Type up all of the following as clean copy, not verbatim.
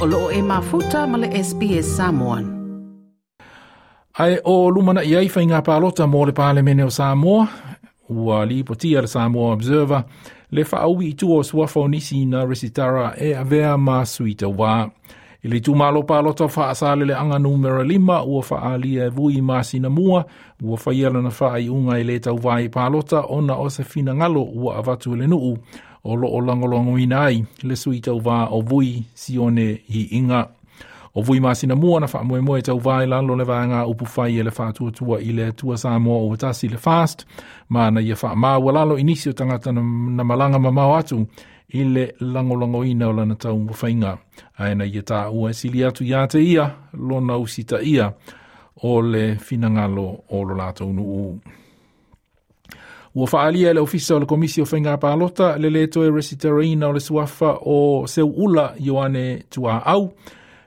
O loo e mafuta ma le SBS Samoan. Ae o lumanaʻi ai faiga palota mo le Palemene o Samoa, ua lipotia le Samoa Observer le faaui i tua o suafa o nisi na resitara e avea ma sui tauva. I le itumalo palota o Faasaleleaga numera 5 ua faaalia e Vui masina mua, ua faia lana faaiuga e le tauva i palota ona o se finagalo ua avatu e le nuu o loo lagolagoina ai le sui tauva o Vui Sione Iiga. O Vui masina mua na faamoemoe tauva i lalo le vaega upu fai e le faatuatua i le Atua Samoa ua tasi le FAST, ma na ia faamaualalo i nisi o tagata na malaga mamao atu i le lagolagoina o lana taumafaiga. Ae na ia taua e sili atu ia te ia lona usitaia o le finagalo o lo latou nuu. Ua faaalia e le Ofisa o le Komisi o Faiga Palota le le toe resitaraina o le suafa o Seuula Ioane Tuaau,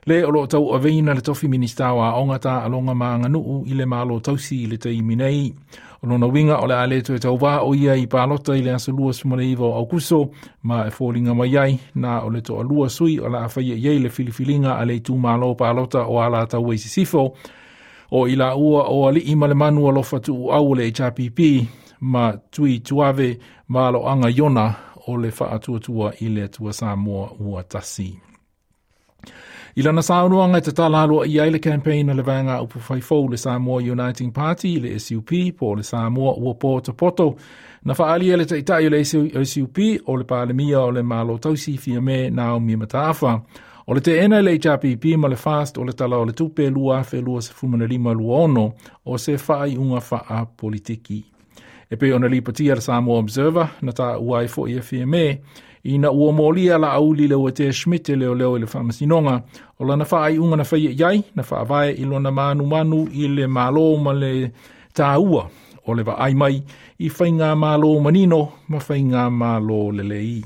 le o loo tauaveina le tofi Minista o Aoga Taaloga ma Aganuu i le Malo Tausi i le taimi nei. O lona uiga o le a le toe tauvā o ia i palota i le aso 29 o Aukuso, ma e foliga mai ai na o le toalua sui o le a faia i ai le filifiliga a le itumalo palota o Alataua i Sisifo, o i laua o Alii ma le Manu Alofa Tuuau o le HRPP ma Tui Tuave Maloaga Iona o le Faatuatua i le Atua Samoa ua tasi. I lana saunoaga e tatala aloaia ai le campaign a le vaega upu faifou le Samoa Uniting Party, le SUP, po o le Samoa ua potopoto, na faaalia le taitai o le SUP o le Palemia o le Malo Tausi Fiame Naomi Mataafa. O le teena i le HRPP ma le FAST o le tala o le tupe 2025/26 o se faaiuga faapolitiki. E pei ona lipotia le Samoa Observer na taua ai foi e Fiame ina ua molia Laauli Leuatea Schmidt e leoleo i le faamasinoga o lana faaiuga na faia i ai na faavae i lona manumanu i le malo ma le taua o le vaai mai i faigamalo manino ma faigamalo lelei.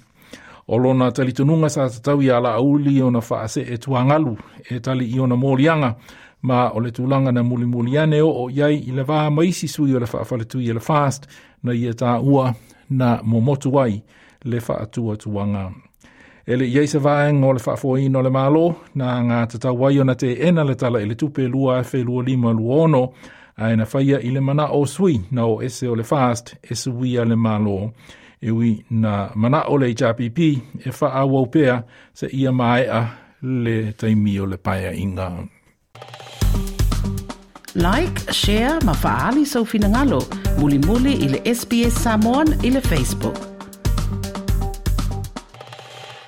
O lona talitonuga sa tatau ia Laauli ona faasee tuagalu e tali i ona moliaga, ma o le tulaga na mulimuli ane oo i ai i le va ma isi sui o le faafaletui e le FAST na ia taua na momotu ai le faatuatuaga. E le i ai se vaega o le faafoeina o le Malo na agatatau ai ona teena le tala i le tupe 2025/26, ae na faia i le manao o sui na o ese o le FAST e suia le Malo. E ui na manao le HRPP e faaauau pea seia maea le taimi o le paeaiga. Like, share ma faaali sou finagalo. Mulimuli i le SBS Samoan i le Facebook.